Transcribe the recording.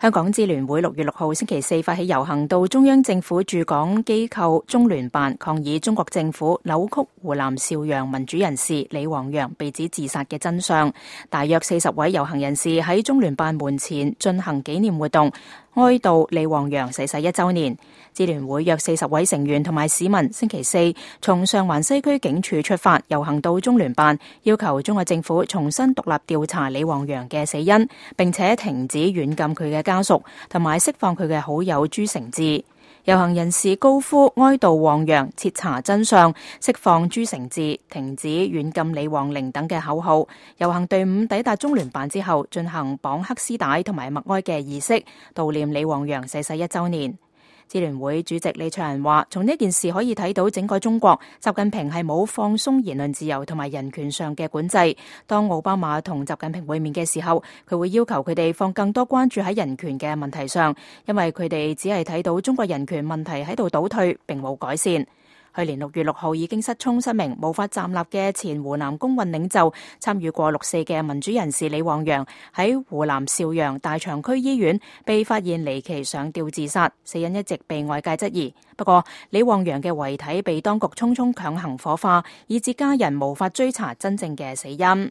香港支聯會6月6號星期四發起遊行，到中央政府駐港機構中聯辦抗議中國政府扭曲湖南邵陽民主人士李旺陽被指自殺嘅真相。大約40位遊行人士喺中聯辦門前進行紀念活動，哀悼李旺陽逝世1週年。支聯會約40位成員同埋市民星期四從上環西區警署出發，遊行到中聯辦，要求中國政府重新獨立調查李旺陽嘅死因，並且停止軟禁佢嘅家屬，同埋釋放佢嘅好友朱成志。遊行人士高呼哀悼旺陽、徹查真相、釋放朱成志、停止軟禁李旺玲等嘅口號。遊行隊伍抵達中聯辦之後，進行綁黑絲帶同埋默哀嘅儀式，悼念李旺陽逝世1週年。支聯會主席李卓人話，從呢件事可以睇到整個中國，習近平係冇放鬆言論自由同埋人權上嘅管制。當奧巴馬同習近平會面嘅時候，佢會要求佢哋放更多關注喺人權嘅問題上，因為佢哋只係睇到中國人權問題喺度倒退，並冇改善。去年6月6號已經失聰失明、無法站立嘅前湖南工運領袖，參與過6·4嘅民主人士李旺陽喺湖南邵陽大長區醫院被發現離奇上吊自殺，死因一直被外界質疑。不過，李旺陽嘅遺體被當局匆匆強行火化，以致家人無法追查真正嘅死因。